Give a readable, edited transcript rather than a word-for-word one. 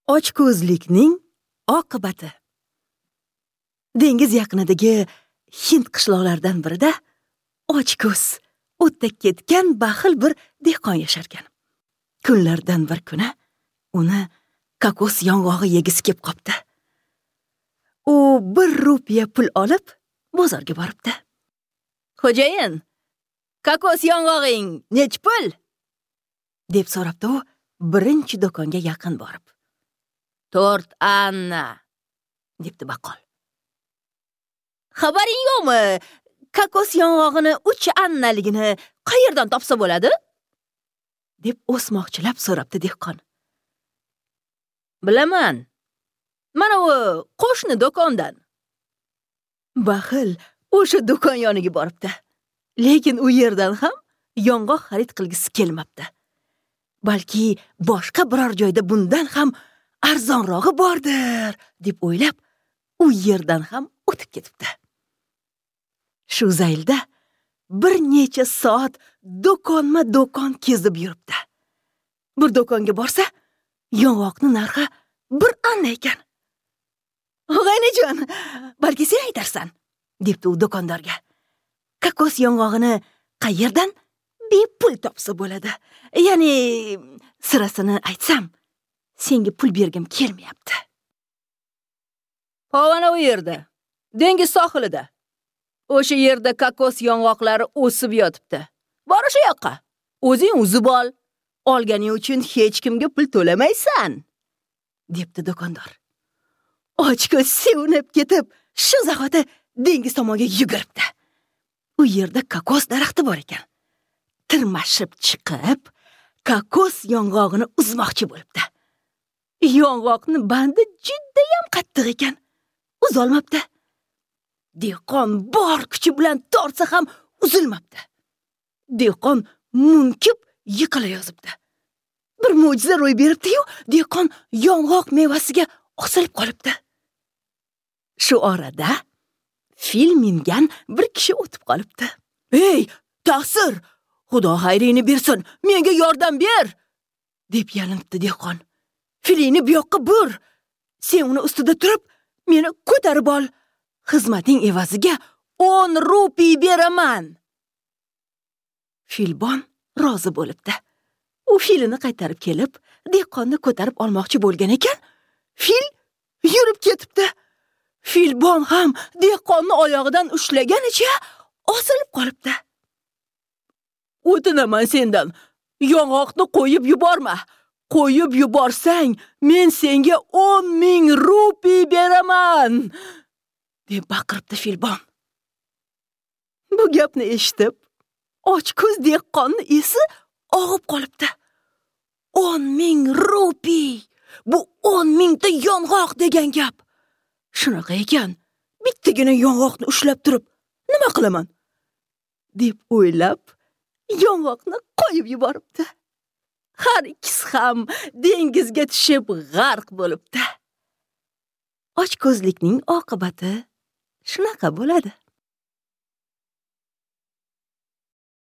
Ochko'zlikning oqibati. Dengiz yaqinidagi Hind qishloqlaridan birida ochko'z, o'tda ketgan baxil bir dehqon yasharkan. Kunlardan bir kuni uni kokos yong'og'i yegisi kelib qopti. U 1 rupiya pul olib bozorga boribdi. "Xo'jayin, kokos yong'og'ing nech pul?" deb so'rabdi u birinchi do'konga yaqin borib. 4 anna, debdi baqqol. "Xabaring yo'qmi? Kokos yong'og'ini 3 annaligini qayerdan topsa bo'ladi?" deb o'smoqchilab so'rabdi dehqon. "Bilaman. Mana u qo'shni do'kondan." Baxil o'sha do'kon yoniga boribdi. Lekin u yerdan ham yong'oq xarid qilgisi kelmabdi. Balki boshqa biror joyda bundan ham arzonrog'i bordir, deb o'ylab, u yerdan ham o'tib ketibdi. Shu zaylda bir necha soat do'konma-do'kon kezib yuribdi. Bir do'konga borsa, yong'oqning narxi 1 anna ekan. "Og'aynijon, balki sen aytarsan?" debdi u do'kondorga. "Kokos yong'og'ini qayerdan bepul topsa bo'ladi? Ya'ni sirasini aytsam, senga pul bergim kelmayapti." "Pog'ona u yerda, dengiz sohilida. O'sha yerda kokos yong'oqlari o'sib yotibdi. Bor o'sha yoqqa. O'zing uzib ol. Olganing uchun hech kimga pul to'lamaysan," debdi do'kondor. Ochko'z sevinib ketib, shu zahoti dengiz tomonga yuguribdi. U yerda kokos daraxti bor ekan. Tirmashib chiqib, kokos yong'og'ini uzmoqchi bo'libdi. Yong'oqni bandi judayam qattiq ekan. Uzolmabdi. Dehqon bor kuchi bilan tortsa ham uzilmabdi. Dehqon munkib yiqila yozibdi. Bir mo'jiza ro'y beribdi-yu, dehqon yong'oq mevasiga osilib qolibdi. Shu orada fil mingan bir kishi o'tib qolibdi. "Ey, taqsir, Xudo xayringni bersin, menga yordam ber!" deb yalinibdi dehqon. "Filingni bu yoqqa bur. Sen uni ustida turib, meni ko'tarib ol. Xizmating evaziga 10 rupiy beraman." Filbon rozi bo'libdi. U filini qaytarib kelib, dehqonni ko'tarib olmoqchi bo'lgan ekan, fil yurib ketibdi. Filbon ham dehqonni oyog'idan ushlaganicha osilib qolibdi. "O'tinaman sendan, yong'oqni qo'yib yuborma. Qo'yib yuborsang, men senga 10 000 rupiy beraman!" deb baqiribdi filbon. Bu gapni eshitib, ochko'z dehqonni esi og'ib qolibdi. 10 000 rupiy! Bu 10 000 ta yong'oq degan gap. Shunaqa ekan, bittagina yong'oqni ushlab turib, nima qilaman? deb o'ylab, yong'oqni qo'yib yuboribdi. Har ikkisi ham dengizga tushib g'arq bo'libdi. Ochko'zlikning oqibati shunaqa bo'ladi.